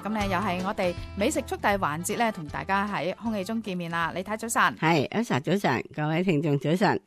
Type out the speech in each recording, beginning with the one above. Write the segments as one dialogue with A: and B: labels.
A: 咁咧又係我哋美食速遞環節咧，同大家喺空氣中見面啦。李太早晨，
B: 係Elsa早晨，各位聽眾早晨。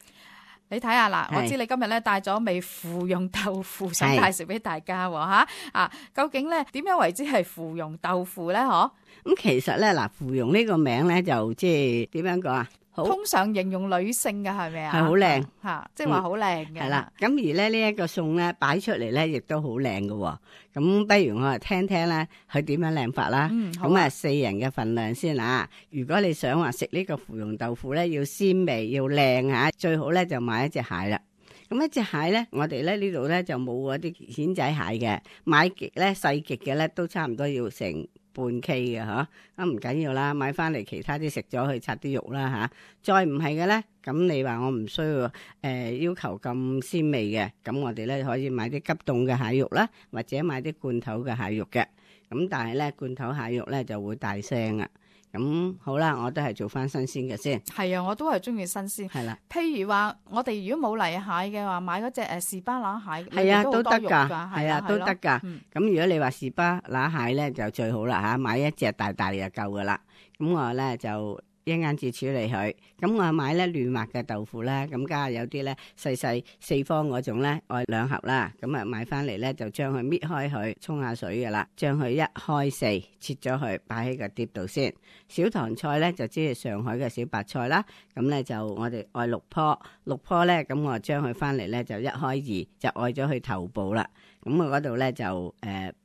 A: 你睇下嗱，我知你今日咧帶咗味芙蓉豆腐想介紹俾大家吓啊！究竟咧點樣為之係芙蓉豆腐咧？嗬，
B: 咁其實咧嗱，芙蓉呢個名咧就即係點樣講啊？
A: 通常形容女性嘅係咪啊？
B: 係好靚
A: 吓，即係話好靚嘅。
B: 係啦，咁而咧呢一個餸咧擺出嚟咧，亦都好靚嘅。咁不如我嚟聽聽咧，佢點樣靚法啦？咁啊，4人嘅份量先啊。如果你想話食呢個芙蓉豆腐咧，要鮮味要靚吓，最好咧就買一隻蟹啦。咁一隻蟹咧，我哋咧呢度咧就冇嗰啲蜆仔蟹嘅，買極咧細極嘅咧都差唔多要成半 K 嘅嗬，咁唔緊要啦，買翻嚟其他啲食咗去拆啲肉啦吓。再唔係嘅咧，咁你話我唔需要要求咁鮮味嘅，咁我哋咧可以買啲急凍嘅蟹肉啦，或者買啲罐頭嘅蟹肉嘅。咁但係咧罐頭蟹肉咧就會大聲啊。咁好啦，我都係做翻新鮮嘅先。係
A: 啊，我都係中意新鮮。
B: 係啦，
A: 譬如話我哋如果冇泥蟹嘅話，買嗰隻士巴拿蟹，
B: 係啊都得㗎，
A: 係啊
B: 都得㗎。咁如果你話士巴拿蟹咧就最好啦嚇，買一隻大大就夠㗎啦。咁我咧就一陣至處理佢。咁我買咧嫩滑嘅豆腐咧，咁加有啲咧細細四方嗰種咧，愛2盒啦。咁啊買翻嚟咧就將佢搣開佢，沖下水㗎啦，將佢一開四切咗佢，擺喺個碟度先。小棠菜咧就即係上海嘅小白菜啦。咁咧就我哋愛6棵咧，咁我將佢翻嚟咧就一開二，就愛咗佢頭部啦。咁我嗰度咧就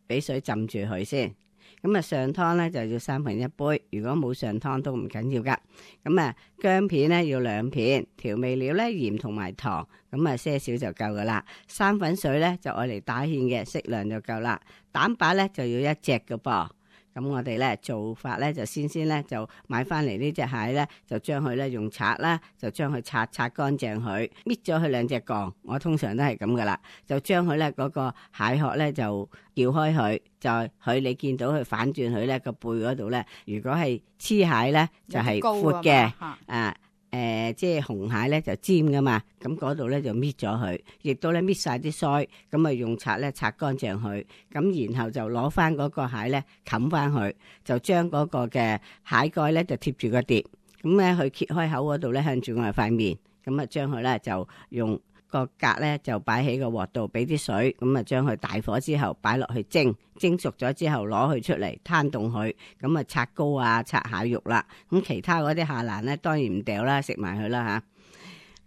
B: 俾水浸住佢先。咁啊上湯咧就要1/3杯，如果冇上湯都唔緊要噶。咁啊薑片咧要2片，調味料咧鹽同埋糖，咁啊些少就夠噶啦。生粉水咧就愛嚟打芡嘅，適量就夠啦。蛋白咧就要1隻噶噃。咁我哋咧做法咧就先咧就買翻嚟呢隻蟹咧，就將佢咧用刷啦，就將佢擦乾淨佢，搣咗佢2隻槓。我通常都係咁噶啦，就將佢咧嗰個蟹殼咧就撬開佢，就佢你見到佢反轉佢咧個背嗰度咧，如果係黐蟹咧就係闊嘅啊。即係紅蟹咧就尖噶嘛，咁嗰度咧就搣咗佢，亦都咧搣晒啲腮，咁啊用刷咧擦乾淨佢，咁然後就攞翻嗰個蟹咧冚翻佢，就將嗰個嘅蟹蓋咧就貼住個碟，咁咧佢揭開口嗰度咧向住我哋塊面，咁啊將佢咧就用個格咧就擺喺個鑊度，俾啲水，咁啊將佢大火之後擺落去蒸熟咗之後攞佢出嚟攤凍佢，咁啊拆膏啊拆蟹肉啦，咁其他嗰啲下欄咧當然唔掉啦，食埋佢啦吓。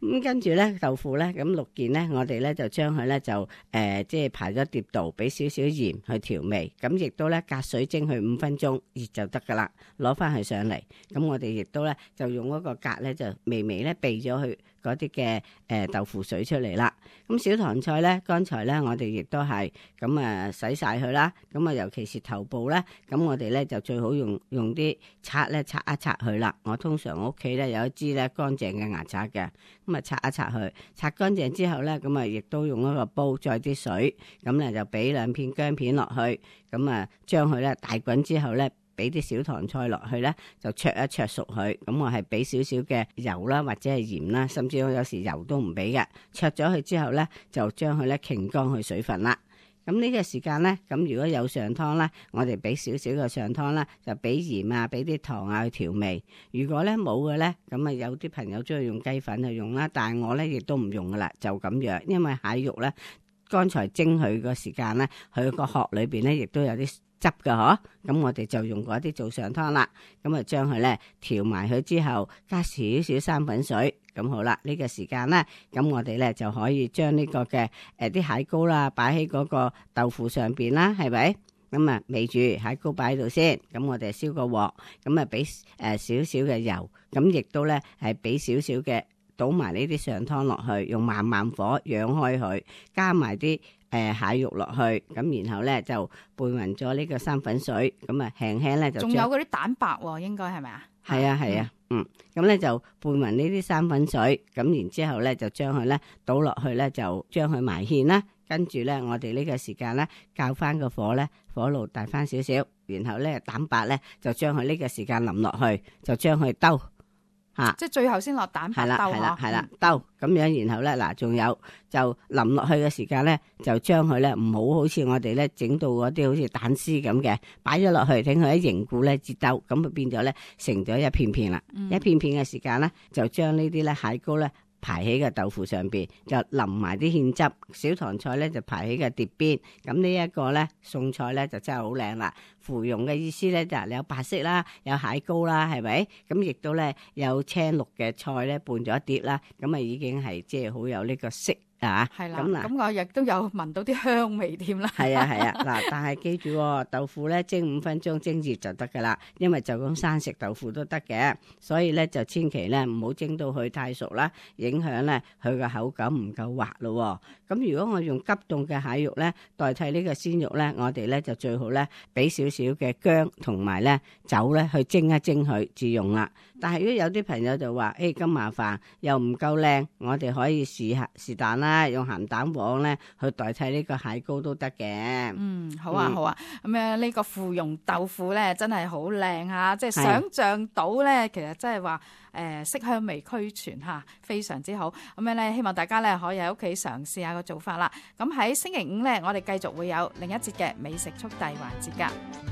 B: 咁跟住咧豆腐咧，咁6件咧，我哋咧就將佢咧就即係排咗碟度，俾少少鹽去調味，咁亦都咧隔水蒸佢5分鐘熱就得噶啦，攞翻佢上嚟，咁我哋亦都咧就用嗰個格咧就微微咧避咗佢嗰啲嘅豆腐水出嚟啦。咁小棠菜咧，剛才咧我哋亦都係咁洗晒佢啦，咁啊尤其是頭部咧，咁我哋咧就最好用啲刷咧刷一刷佢啦。我通常我屋企咧有一支咧乾淨嘅牙刷嘅，咁啊刷一刷佢，刷乾淨之後咧，咁啊亦都用一個煲載啲水，咁咧就俾2片薑片落去，咁啊將佢咧大滾之後咧，俾啲小棠菜落去咧，就焯一焯熟佢。咁我係俾少少嘅油啦，或者係鹽啦，甚至我有時油都唔俾嘅。焯咗佢之後咧，就將佢咧傾乾佢水分啦。咁呢個時間咧，咁如果有上湯啦，我哋俾少少嘅上湯啦，就俾鹽啊，俾啲糖啊去調味。如果咧冇嘅咧，咁啊有啲朋友中意用雞粉去用啦，但係我咧亦都唔用噶啦，就咁樣，因為蟹肉咧剛才蒸佢個時間咧，佢個殼裏邊咧亦都有啲汁㗎嗬，咁我哋就用嗰啲做上湯啦，咁啊將佢咧調埋佢之後，加少少生粉水，咁好啦。呢個時間咧，咁我哋咧就可以將呢個嘅啲蟹膏啦，擺喺嗰個豆腐上邊啦，係咪？咁啊，味住蟹膏擺喺度先，咁我哋燒個鑊，咁啊俾少少嘅油，咁亦都咧係俾少少嘅倒埋呢啲上湯落去，用慢慢火養開佢，加埋啲蟹肉落去，咁然後咧就拌勻咗呢個生粉水，咁啊輕輕咧就仲有
A: 嗰啲蛋白喎，應該係咪啊？
B: 係啊係啊，咁咧就拌勻呢啲生粉水，咁然之後咧就將佢咧倒落去咧，就將佢埋芡啦。跟住咧，我哋呢個時間咧，較翻個火咧，火爐大翻少少，然後咧蛋白咧就將佢呢個時間淋落去，就將佢兜嚇。
A: 即係最後先落蛋白兜嗬。
B: 係啦，兜咁樣，然後咧嗱，仲有就淋落去嘅時間咧，就將佢咧唔好似我哋咧整到嗰啲好似蛋絲咁嘅，擺咗落去，等佢一凝固咧至兜，咁就變咗咧成咗一片片啦。一片片嘅時間咧，就將呢啲咧蟹膏咧排喺個豆腐上邊，就淋埋啲芡汁，小棠菜咧就排喺個碟邊。咁呢一個咧餸菜咧就真係好靚啦。芙蓉嘅意思咧就係你有白色啦，有蟹膏啦，係咪？咁亦都咧有青綠嘅菜咧拌咗一碟啦，咁啊已經係即係好有呢個色。
A: 係啦，咁我亦都有聞到啲香味添啦。
B: 係啊嗱，但係記住豆腐咧蒸5分鐘蒸熱就得噶啦，因為就咁生食豆腐都得嘅，所以咧就千祈咧唔好蒸到佢太熟啦，影響咧佢個口感唔夠滑咯。咁如果我用急凍嘅蟹肉咧代替呢個鮮肉咧，我哋咧就最好咧俾少少嘅薑同埋咧酒咧去蒸一蒸佢至用啦。但係如果有啲朋友就話咁麻煩又唔夠靚，我哋可以試下是但啦，用鹹蛋黃咧去代替呢個蟹膏都得嘅。
A: 好啊。咁呢個芙蓉豆腐咧真係好靚嚇，即係想像到咧，其實真係話色香味俱全嚇，非常之好。咁樣咧，希望大家咧可以喺屋企嘗試下個做法啦。咁喺星期五咧，我哋繼續會有另一節嘅美食速遞環節㗎。